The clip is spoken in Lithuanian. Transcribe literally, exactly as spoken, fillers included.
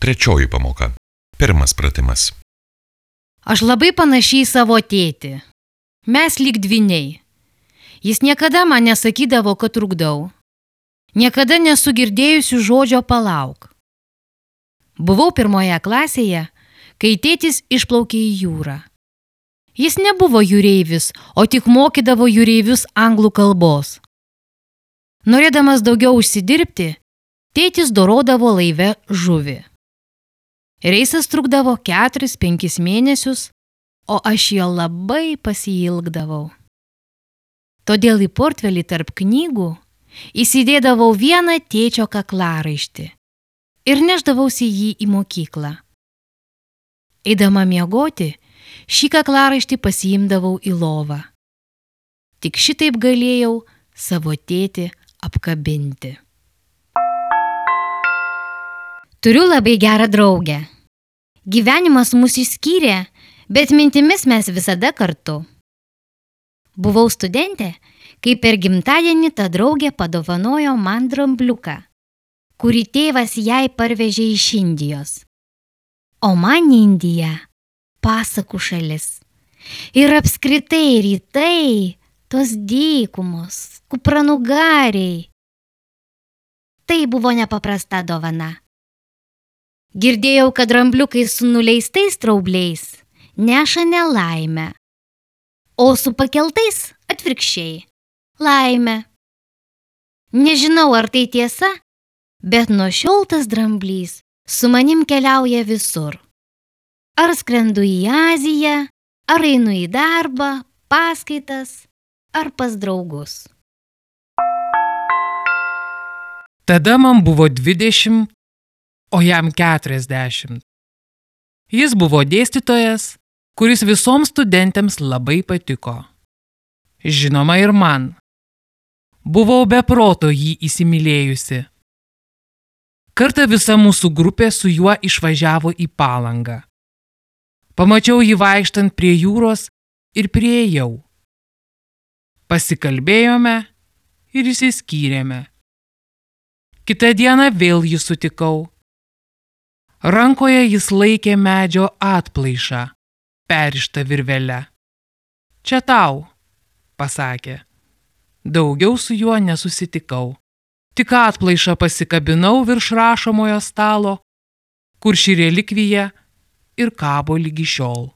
Trečioji pamoka. Pirmas pratimas. Aš labai panašiai savo tėtį. Mes lyg dvyniai. Jis niekada man nesakydavo, kad trukdau. Niekada nesu girdėjusi žodžio palauk. Buvau pirmoje klasėje, kai tėtis išplaukė į jūrą. Jis nebuvo jūreivis, o tik mokydavo jūreivius anglų kalbos. Norėdamas daugiau užsidirbti, tėtis dorodavo laive žuvį. Reisas trukdavo keturis penkis mėnesius, o aš jo labai pasiilgdavau. Todėl į portfelį tarp knygų įsidėdavau vieną tėčio kaklaraištį ir nešdavausi jį į mokyklą. Eidama miegoti, šį kaklaraištį pasiimdavau į lovą. Tik šitaip galėjau savo tėtį apkabinti. Turiu labai gerą draugę. Gyvenimas mus išskyrė, bet mintimis mes visada kartu. Buvau studentė, kai per gimtadienį ta draugė padovanojo man drambliuką, kurį tėvas jai parvežė iš Indijos. O man Indija – pasakų šalis. Ir apskritai rytai, tos dykumos, kupranugariai. Tai buvo nepaprasta dovana. Girdėjau, kad drambliukai su nuleistais straubliais neša nelaimę, o su pakeltais atvirkščiai – laimę. Nežinau, ar tai tiesa, bet nuo šiol tas dramblys su manim keliauja visur. Ar skrendu į Aziją, ar einu į darbą, paskaitas, ar pas draugus. Tada man buvo dvidešimt, o jam keturiasdešimt. Jis buvo dėstytojas, kuris visoms studentėms labai patiko. Žinoma ir man. Buvau be proto jį įsimylėjusi. Kartą visa mūsų grupė su juo išvažiavo į Palangą. Pamačiau jį vaikštant prie jūros ir priėjau. Pasikalbėjome ir išsiskyrėme. Kitą dieną vėl jį sutikau. Rankoje jis laikė medžio atplaišą, perrištą virvele. Čia tau, pasakė. Daugiau su juo nesusitikau. Tik atplaišą pasikabinau virš rašomojo stalo, kur ši relikvija ir kabo lygi šiol.